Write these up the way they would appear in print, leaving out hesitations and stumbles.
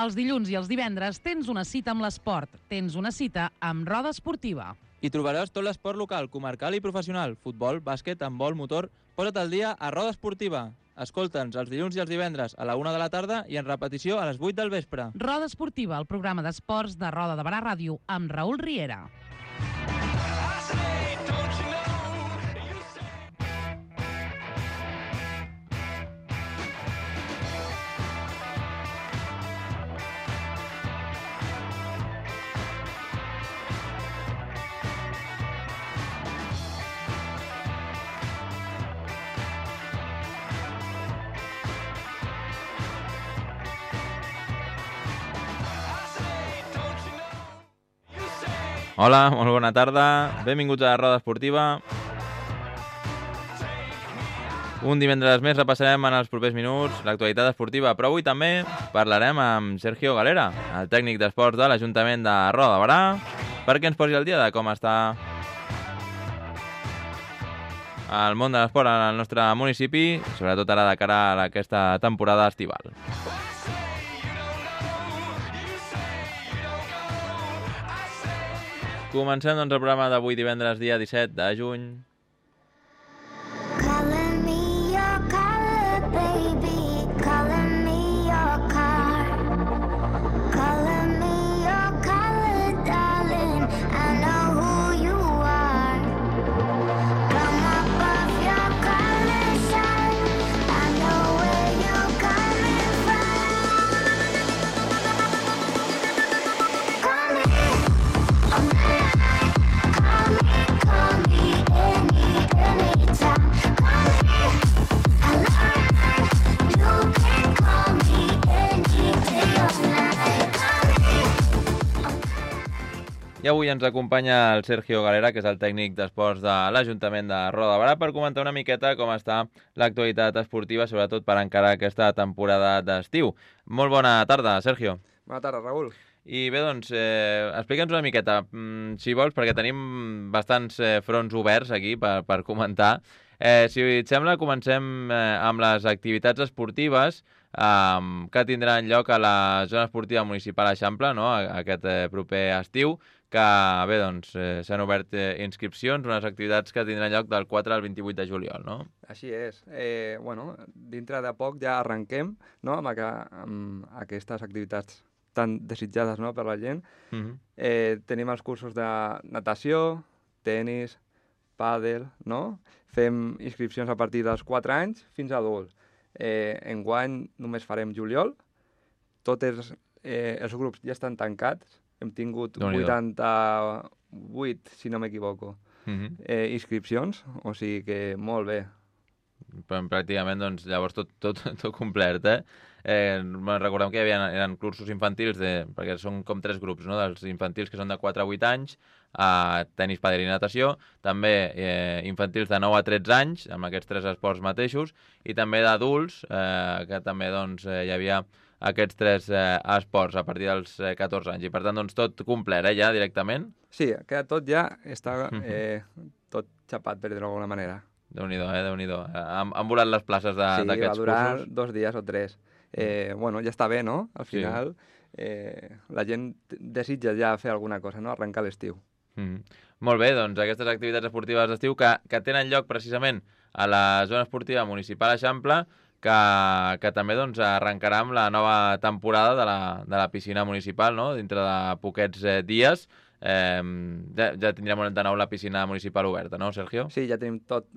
Els dilluns i els divendres tens una cita amb l'esport, tens una cita amb Roda Esportiva. Hi trobaràs tot l'esport local, comarcal i professional, futbol, bàsquet, handbol, motor. Posa't al dia a Roda Esportiva. Escolta'ns els dilluns i els divendres a la 1 de la tarda i en repetició a les 8 del vespre. Roda Esportiva, el programa d'esports de Roda de Barà Ràdio, amb Raül Riera. Hola, molt bona tarda. Benvinguts a Roda Esportiva. Un divendres més repassarem en els propers minuts l'actualitat esportiva, però avui també parlarem amb Sergio Galera, el tècnic d'esports de l'Ajuntament de Roda de Barà, perquè ens posi al dia de com està el món de l'esport al nostre municipi, sobretot ara de cara a aquesta temporada estival. Comencem doncs el programa d'avui divendres, dia 17 de juny. I avui ens acompanya el Sergio Galera, que és el tècnic d'esports de l'Ajuntament de Roda de Barà, per comentar una miqueta com està l'actualitat esportiva, sobretot per encarar aquesta temporada d'estiu. Molt bona tarda, Sergio. Bona tarda, Raül. I bé, doncs, explica'ns una miqueta, si vols, perquè tenim bastants fronts oberts aquí per comentar. Si et sembla, comencem amb les activitats esportives que tindran lloc a la zona esportiva municipal Eixample, no?, aquest proper estiu, que bé, doncs, s'han obert inscripcions, unes activitats que tindran lloc del 4 al 28 de juliol, no? Així és. Bueno, dintre de poc ja arrenquem, no?, amb aquestes activitats tan desitjades, no?, per la gent. Tenim els cursos de natació, tenis, pàdel, no? Fem inscripcions a partir dels 4 anys fins a adults. Enguany només farem juliol. Tots els grups ja estan tancats. Hem tingut 88, si no m'equivoco, inscripcions, o sigui que molt bé. Pràcticament, doncs, llavors tot complert, recordem que eren cursos infantils, perquè són com 3 grups, no?, dels infantils que són de 4 a 8 anys, tenis, pàdel i natació, també infantils de 9 a 13 anys, amb aquests 3 esports mateixos, i també d'adults, que també doncs, hi havia aquests 3 esports a partir dels 14 anys. I per tant, doncs, tot complet, ja, directament? Sí, tot ja està tot xapat, per dir-ho d'alguna manera. Déu-n'hi-do, Déu-n'hi-do. Han volat les places d'aquests cursos? Sí, va durar 2 dies o 3. Bueno, ja està bé, no? Al final, la gent desitja ja fer alguna cosa, no?, arrencar l'estiu. Molt bé, doncs aquestes activitats esportives d'estiu que tenen lloc precisament a la zona esportiva municipal Eixample, que també doncs, arrencarà amb la nova temporada de la piscina municipal, no?, dintre de poquets dies. Ja tindrem de nou la piscina municipal oberta, no, Sergio? Sí, ja tenim tot.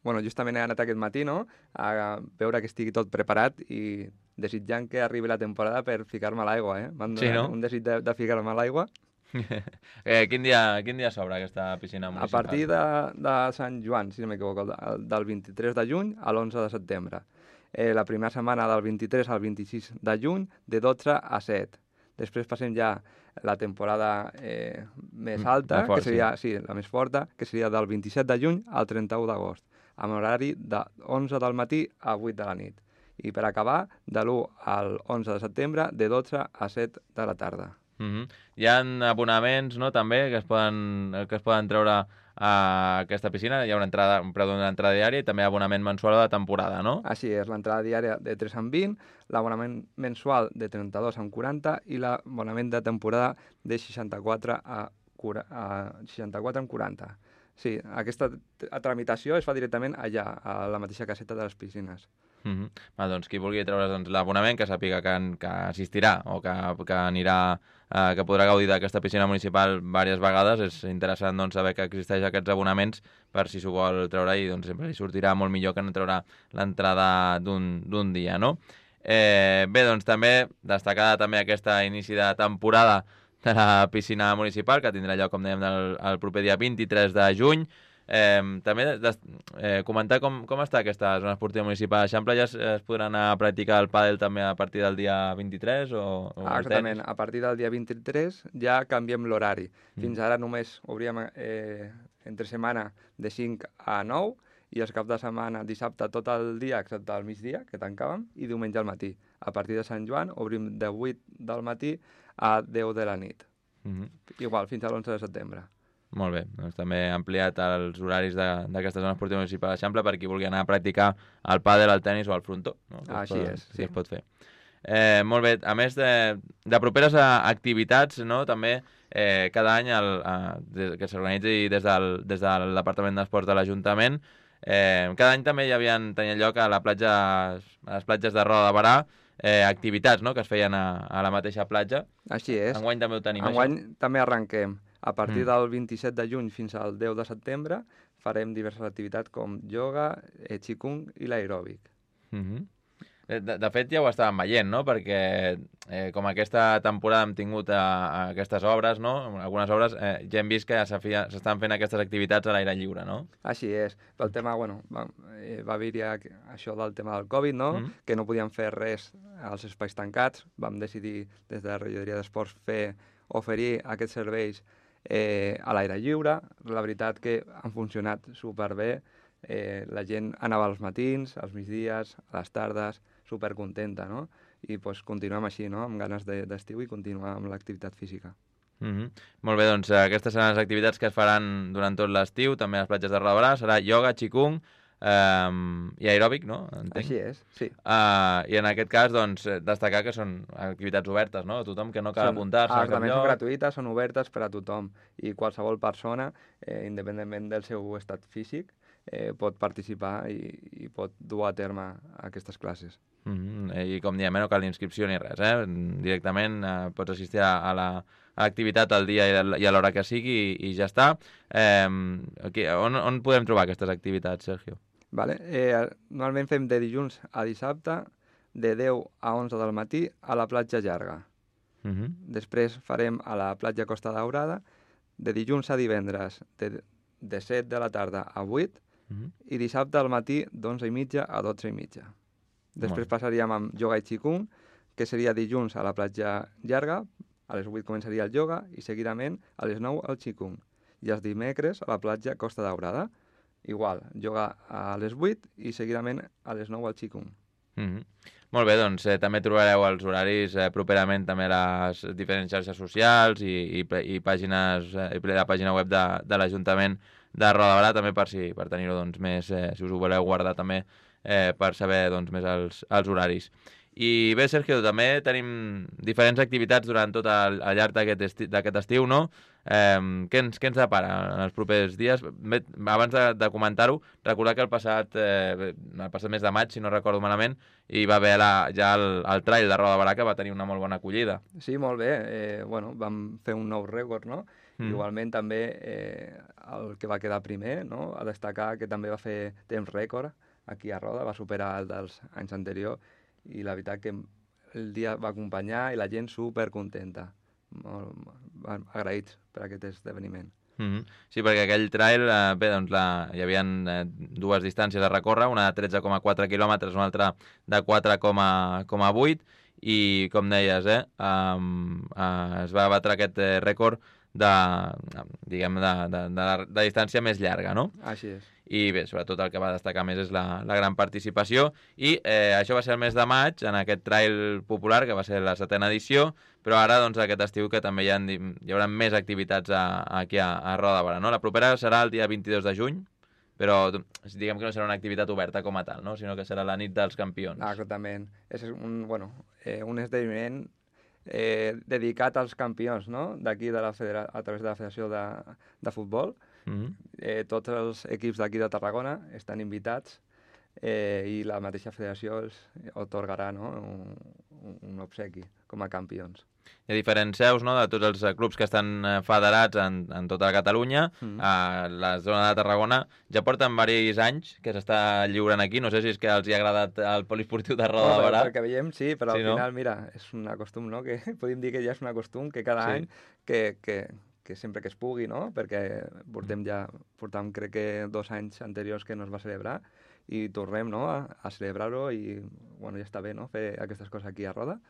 Bueno, justament he anat aquest matí, no?, a veure que estigui tot preparat i desitjant que arribi la temporada per ficar-me a l'aigua, M'han donat un desig de ficar-me a l'aigua. Quin dia s'obre aquesta piscina municipal? A partir de Sant Joan, si no m'equivoco, del 23 de juny a l'11 de setembre. La primera setmana del 23 al 26 de juny, de 12 a 7. Després passem ja la temporada més alta, que seria la més forta, que seria del 27 de juny al 31 d'agost, amb horari de 11 del matí a 8 de la nit. I per acabar, de l'1 al 11 de setembre, de 12 a 7 de la tarda. Hi ha abonaments, no?, també, que es poden treure a aquesta piscina, hi ha un preu d'una entrada diària i també abonament mensual de temporada, no? Així és, l'entrada diària de 3,20, l'abonament mensual de 32,40 i l'abonament de temporada de 64 a 64,40. Sí, aquesta tramitació es fa directament allà, a la mateixa caseta de les piscines. Doncs qui vulgui treure's l'abonament, que sàpiga que assistirà o que anirà, que podrà gaudir d'aquesta piscina municipal diverses vegades. És interessant saber que existeix aquests abonaments per si s'ho vol treure i sempre li sortirà molt millor que no treure l'entrada d'un dia, no? Bé, doncs també destacada també aquesta inici de temporada de la piscina municipal, que tindrà lloc, com dèiem, el proper dia 23 de juny. També comentar com està aquesta zona esportiva municipal d'Eixample. Ja es podrà anar a practicar el pàdel també a partir del dia 23 o exactament, a partir del dia 23 ja canviem l'horari. Fins ara només obríem entre setmana de 5 a 9 i els caps de setmana dissabte tot el dia excepte el migdia, que tancàvem, i diumenge al matí. A partir de Sant Joan obrim de 8 del matí a 10 de la nit. Igual, fins a l'11 de setembre. Molt bé, doncs també ha ampliat els horaris d'aquesta zona esportiva municipal d'Eixample per qui vulgui anar a practicar el pàdel, el tennis o el frontó. No? Així és, sí. Es pot fer. Molt bé, a més de properes activitats, no? També cada any que s'organitzi des del Departament d'Esports de l'Ajuntament, cada any també tenien lloc a les platges de Roda de Barà activitats, no? Que es feien a la mateixa platja. Així és. Enguany també ho tenim, Enguany també arrenquem. A partir del 27 de juny fins al 10 de setembre farem diverses activitats com yoga, qigong i l'aeròbic. De fet, ja ho estàvem veient, no? Perquè com aquesta temporada hem tingut aquestes obres, no? Algunes obres, ja hem vist que s'estan fent aquestes activitats a l'aire lliure, no? Així és. Pel tema, va haver-hi això del tema del Covid, no? Que no podíem fer res als espais tancats. Vam decidir des de la regidoria d'esports oferir aquests serveis a l'aire lliure. La veritat que han funcionat superbé. La gent anava als matins, als migdies, a les tardes, supercontenta, no? I continuem així, no? Amb ganes d'estiu i continuar amb l'activitat física. Molt bé, doncs aquestes seran les activitats que es faran durant tot l'estiu, també a les platges de Roda de Barà. Serà ioga, qigong i aeròbic, no? Entenc. Així és, sí. I en aquest cas, doncs, destacar que són activitats obertes, no? A tothom, que no cal apuntar-se a cap lloc. Són gratuïtes, són obertes per a tothom. I qualsevol persona, independentment del seu estat físic, pot participar i pot dur a terme aquestes classes. I com diem, no cal inscripció ni res, directament pots assistir a l'activitat al dia i a l'hora que sigui i ja està. On podem trobar aquestes activitats, Sergio? Normalment fem de dilluns a dissabte, de 10 a 11 del matí, a la platja llarga. Després farem a la platja Costa Daurada, de dilluns a divendres, de 7 de la tarda a 8, i dissabte al matí d'11:30 a 12:30. Després passaríem amb yoga i qigong, que seria dilluns a la platja llarga, a les 8 començaria el yoga i seguidament a les 9 el qigong. I els dimecres a la platja Costa Daurada, igual, yoga a les 8 i seguidament a les 9 el qigong. Molt bé, doncs també trobareu els horaris properament també a les diferents xarxes socials i la pàgina web de l'Ajuntament de Roda de Barà, també per tenir-ho més, si us ho voleu guardar també, per saber més els horaris. I bé, Sergio, també tenim diferents activitats durant tot el llarg d'aquest estiu, no? Què ens depara en els propers dies? Bé, abans de comentar-ho, recordar que el passat mes de maig, si no recordo malament, hi va haver ja el trail de Roda de Barà, que va tenir una molt bona acollida. Sí, molt bé. Vam fer un nou rècord, no? Igualment també el que va quedar primer, no? A destacar que també va fer temps rècord aquí a Roda, va superar el dels anys anteriors i la veritat que el dia va acompanyar i la gent supercontenta. Molt agraïts per aquest esdeveniment. Sí, perquè aquell trail, bé, doncs hi havia dues distàncies a recórrer, una de 13,4 quilòmetres, una altra de 4,8, i com deies, es va batre aquest rècord diguem, de distància més llarga, no? Així és. I bé, sobretot el que va destacar més és la gran participació, i això va ser el mes de maig, en aquest trail popular, que va ser la 7ª edició, però ara, doncs, aquest estiu que també hi haurà més activitats aquí a Roda de Barà, no? La propera serà el dia 22 de juny, però diguem que no serà una activitat oberta com a tal, no? Sinó que serà la nit dels campions. Exactament. És un esdeveniment dedicat als campions, no? D'aquí a través de la Federació de Futbol. Tots els equips d'aquí de Tarragona estan invitats i la mateixa federació els otorgarà, no? un obsequi com a campions. Hi ha diferents seus, no?, de tots els clubs que estan federats en tota Catalunya. A la zona de Tarragona ja porten diversos anys que s'està lliurant aquí. No sé si és que els hi ha agradat el poliesportiu de Roda de Barà. Pel que veiem, sí, però al final, mira, és un costum, no?, que podem dir que ja és un costum que cada any, que sempre que es pugui, no?, perquè portem crec que 2 anys anteriors que no es va celebrar, i tornem, no?, a celebrar-ho, i bueno, ja està bé, no?, fer aquestes coses aquí a Roda.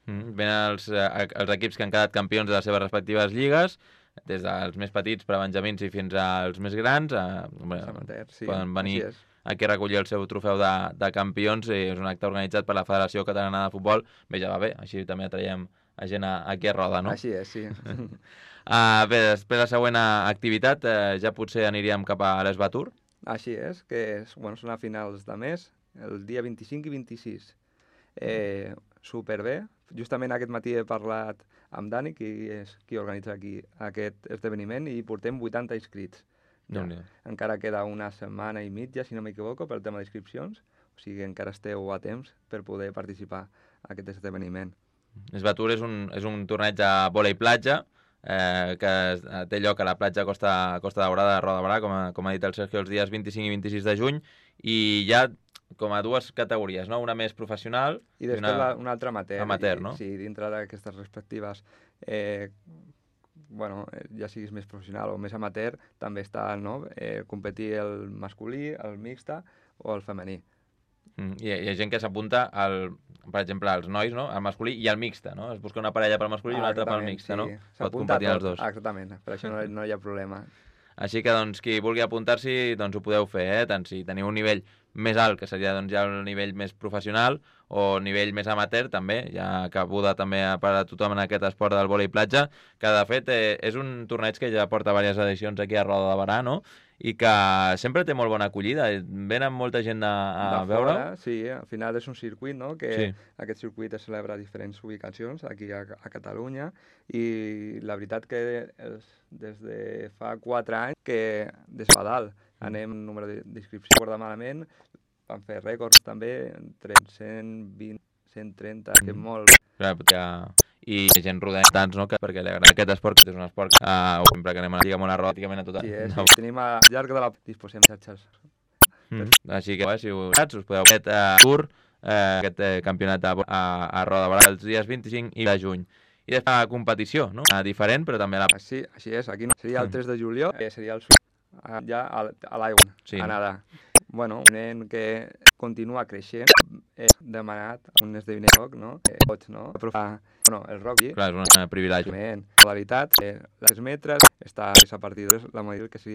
Venen els equips que han quedat campions de les seves respectives lligues, des dels més petits per a benjamins i fins als més grans. Poden venir aquí a recollir el seu trofeu de campions, i és un acte organitzat per la Federació Catalana de Futbol. Bé, ja va bé, així també atraiem a gent aquí a Roda, no? Així és, sí. Bé, després la següent activitat, ja potser aniríem cap a l'Esbatur. Així és, que són a finals de mes, el dia 25 i 26. Superbé. Justament aquest matí he parlat amb Dani, qui és qui organitza aquí aquest esdeveniment, i portem 80 inscrits. Ja. Encara queda una setmana i mitja, si no m'equivoco, per el tema d'inscripcions, o sigui encara esteu a temps per poder participar en aquest esdeveniment. Esbatur és un torneig de vòlei platja, que té lloc a la platja Costa Daurada de Roda de Barà, com ha dit el Sergio, els dies 25 i 26 de juny, i hi ha com a 2 categories, no? Una més professional i després una altra amateur. Amateur, no? Sí, dintre d'aquestes respectives, ja siguis més professional o més amateur, també està, no?, competir el masculí, el mixta o el femení. Hi ha gent que s'apunta, per exemple, als nois, no?, al masculí i al mixta, no? Es busca una parella pel masculí i una altra pel mixta, no? Pot competir els dos. Exactament, per això no hi ha problema. Així que, doncs, qui vulgui apuntar-s'hi, doncs ho podeu fer, tant si teniu un nivell més alt, que seria doncs, ja el nivell més professional, o nivell més amateur, també, ja cabuda també per a tothom en aquest esport del vòlei platja, que de fet és un torneig que ja porta diverses edicions aquí a Roda de Barà, no?, i que sempre té molt bona acollida. Venen molta gent a veure. Sí, al final és un circuit, no?, que aquest circuit es celebra a diferents ubicacions aquí a Catalunya, i la veritat que des de fa 4 anys que des de dalt anem número d'inscripció, recorda malament, vam fer rècords també, entre 120, 130, que molt. I gent rodant tants, no?, perquè li agrada aquest esport, que és un esport que sempre que anem a la lliga molt a Roda, pràcticament a tota. Sí, tenim al llarg de la disposem xarxes. Així que, si us podeu fer aquest campionat a Roda de Barà els dies 25 i de juny. I després la competició, no?, diferent, però també la... Sí, així és, aquí seria el 3 de juliol, seria el ja a l'aigua, a nedar. Bueno, un nen que continua creixent, és demanat un esdeveniment, no? Pots, no? El rugby. Clar, és un privilegi. La veritat, les metres està a partir de la modalitat que seria